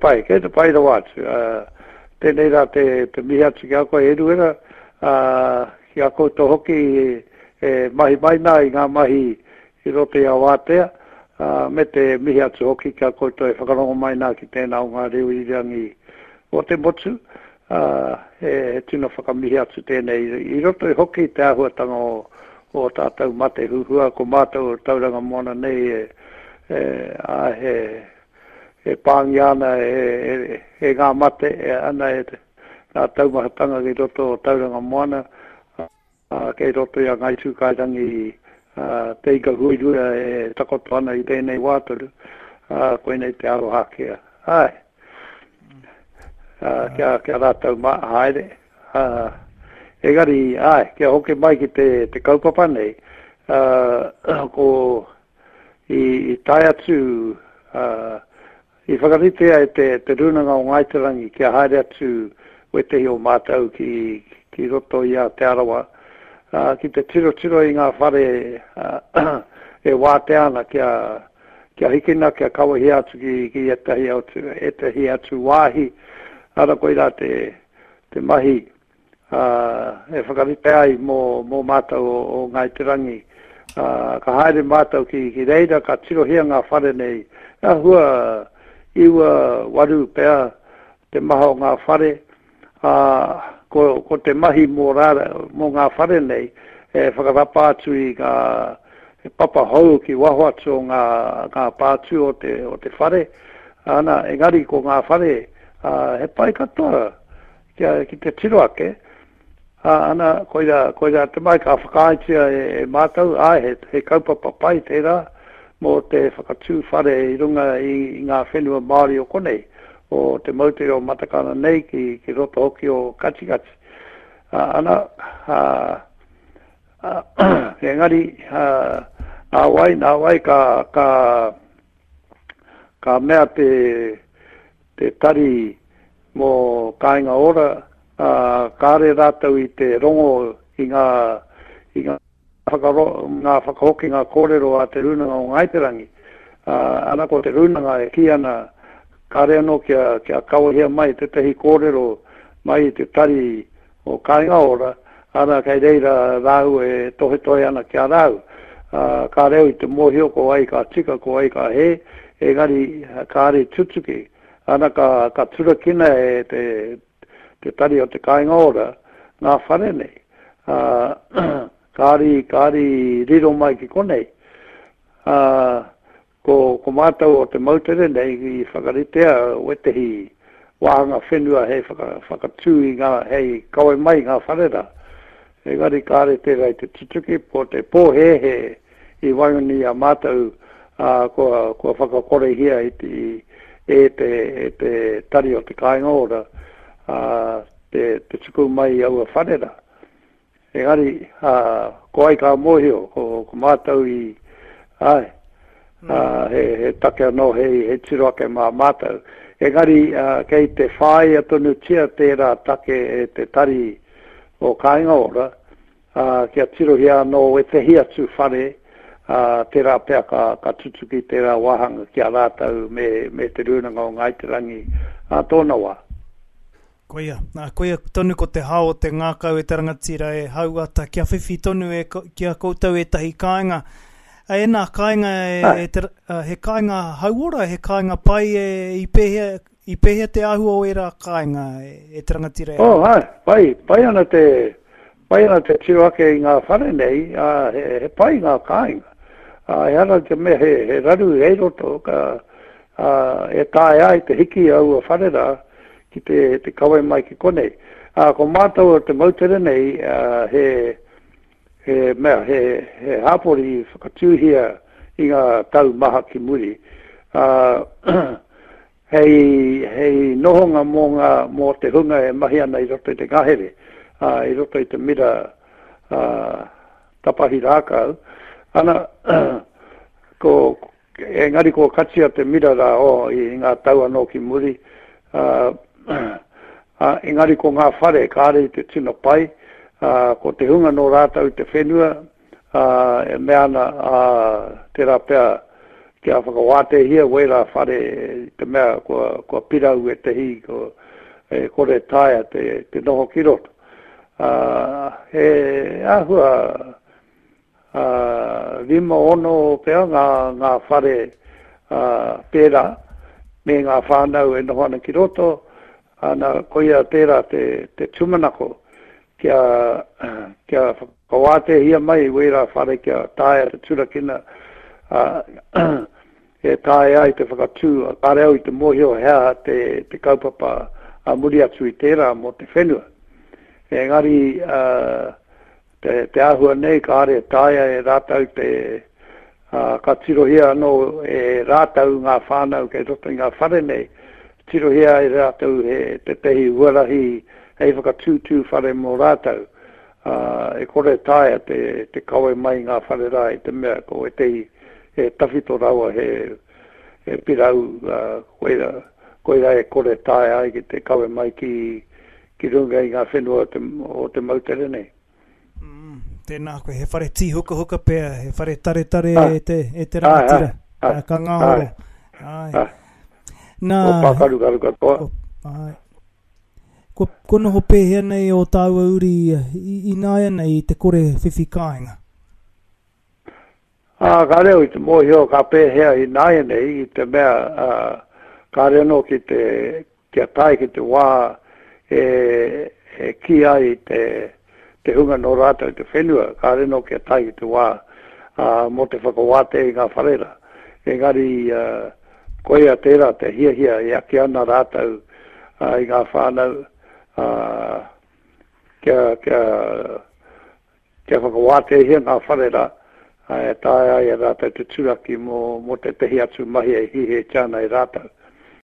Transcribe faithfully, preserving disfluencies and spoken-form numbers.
pai, kei te pai rawa atu. Tēnei rā te, te mihi atu ki a koe Eruera, ki a koutou hoki e mahi mai nā i ngā mahi i roto i a Wātea, me te mihi atu hoki ki a koutou e whakarongo mai nā ki tēnā o ngā reo irirangi o te motu. He tino whakamihi atu tēnei i roto i hoki te āhuatanga o, o tātou mate huhua, ko mātou o Tauranga Moana nei e, e, a, he, e pāngia ana e, e, e ngā mate, e ana e ngā taumahatanga ki roto o Tauranga Moana, a, kei roto i a Ngāi Tūkairangi, a, te ika huirua e takoto ana i tēnei wā tonu, a, koinei te aroha kia. Ai, a, kia, kia rātou ma, haere. A, engari, ai, kia hoki mai ki te, te kaupapa nei, a, ko i, i tae atu, a, i whakaritea e te, te Rūnanga o Ngāi Te Rangi kia haere atu wētehi o mātou ki, ki roto i a Te Arawa, uh, ki te tirotiro i ngā whare uh, e wātea ana kia, kia hikina, kia kawahia atu ki, ki ētahi atu, ētahi atu wāhi. Ara koirā te, te mahi uh, e whakarite ai mō, mō mātou o, o Ngāi Te Rangi. Uh, ka haere mātou ki, ki reira, ka tirohia ngā whare nei. Āhua iwa waru pea te maha o ngā whare. Uh, ko, ko te mahi mō, rāra, mō ngā whare nei, e whakarapa atu i ngā he papa hou ki waho atu o ngā, ngā pātū o te, o te whare. Ana, engari ko ngā whare, uh, he pai katoa kia, ki te tiro ake. Uh, ana, koira, koira te mai ka whakaaetia e, e mātou, ai, he, he kaupapa pai tērā mō te whakatū whare i runga i, i ngā whenua Māori o konei, o te moutere o Matakana nei ki, ki roto hoki o Katikati. Uh, ana, uh, uh, engari, uh, nā wai, nā wai ka, ka, ka mea te, te tari mō Kāinga Ora, uh, kāre rātou i te rongo i ngā, i ngā, whakaro, ngā whakahokinga kōrero a te Rūnanga o Ngāi Te Rangi. Uh, ana ko te Rūnanga e kī ana, kāre anō kia, kia kawahia mai tētahi kōrero mai i te tari o Kāinga Ora, ana kei reira rāu e tohetohe ana ki a rāu. Uh, kāre au i te mōhio ko ai ka tika, ko ai ka hē, engari kāre tutuki. Ana ka, ka turakina e te, te tari o te Kāinga Ora ngā whare nei. Uh, kāri, kāri riro mai ki konei. Uh, ko, ko mātou o te moutere nei i whakaritea wētehi wāhanga whenua hei whaka, whakatū i ngā, hei kawe mai ngā whare rā. Engari kāre tērā i te tutuki, po te pōhēhē i waenganui a mātou, uh, kua, kua whakakorehia i te, e te, e te tari o te Kāinga Ora, uh, te, te tuku mai i aua whare rā. Engari, uh, ko ai ka mōhio, ko, ko mātou i, ai, uh, he, he take anō, he, he tiro ake mā mātou. Engari, uh, kei te whāia tonutia tērā take e te tari o Kāinga Ora, uh, kia tirohia anō wētehi atu whare, uh, tērā pea ka, ka tutuki tērā wāhanga ki a rātou me, me te Rūnanga o Ngāi Te Rangi a tōna wā. Koia, nā, koia tonu ko te hao o te ngākau e te rangatira e hauata, kia whiwhi tonu e, ki a koutou ētahi kāinga. E nā kāinga, e, e te, he kāinga hauora, he kāinga pai e, i pēhea, i pēhea te āhua o ērā kāinga e, e te rangatira e Oh, hai, pai, pai ana te, pai ana te tiro ake i ngā whare nei, uh, he, he pai ngā kāinga. Uh, ehara te mea he, he raru hei roto, ka, uh, e taea ai te hiki aua whare rā ki te, te kawe mai ki konei. Uh, ko mātou o te moutere nei, uh, he, he mea, he, he hāpori i whakatūhia i ngā tau maha ki muri. Uh, hei, hei nohonga mō, ngā, mō te hunga e mahi ana i roto i te ngahere, uh, i roto i te mira uh, tapahi rākau. Ana, ko, engari ko katia te mira rā o, i ngā tau anō ki muri, uh, uh, engari ko ngā whare kāre i te tino pai, uh, ko te hunga nō rātou te whenua, uh, e mea ana, uh, tērā pea kia whakawātehia wērā whare i te mea kua, kua pirau e te hi, ko, e kore taea te, te noho ki roto. Uh, he āhua uh, rima ono pea ngā, ngā whare uh, pērā me ngā whānau e noho ana ki roto, ana koia tērā te, te tūmanako kia, kia whakawātehia mai wērā whare kia taea te turakina uh, e taea ai te whakatū, kāre au i te mōhio he aha te, te kaupapa a muri atu i tērā mō te whenua. Engari uh, te, te āhua nei kāre taea e rātau te uh, ka tirohia anō e rātau ngā whānau kei roto i ngā whare nei, tirohia e rātau he tētehi huarahi hei whakatūtū whare mō rātau. Uh, e kore taea te, te kawe mai ngā whare rā i te mea ko ētehi he tawhito rawa he, he pirau uh, koira, koira e kore taea ai ki te kawe mai ki, ki runga i ngā whenua o te, o te moutere nei. Mm, tēnā koe, he whare tīhukahuka pea, he whare taretare ah, e te, e te rangatira, ai, ai, ka ngāhoro. Ai. Ai. Nā, o pākarukaru katoa. Ko, ai. Ko, ko noho pēhea nei o tāua uri i, i nāianei i te kore whiwhi kāinga? Ā, kāre au i te mōhio ka pēhea i nāianei i te mea uh, kāre anō ki te, kia tae ki te wā e, e kī ai te, te hunga nō rātou te whenua, kāre anō kia tae ki te wā uh, mō te whakawātea i ngā whare rā. Engari uh, koia tērā te hiahia e ake ana rātou uh, i ngā whānau uh, kia, kia, kia whakawāteahia ngā whare rā e taea ai e rātou te turaki mō, mō tētehi atu mahi e hiahiatia ana e rātou.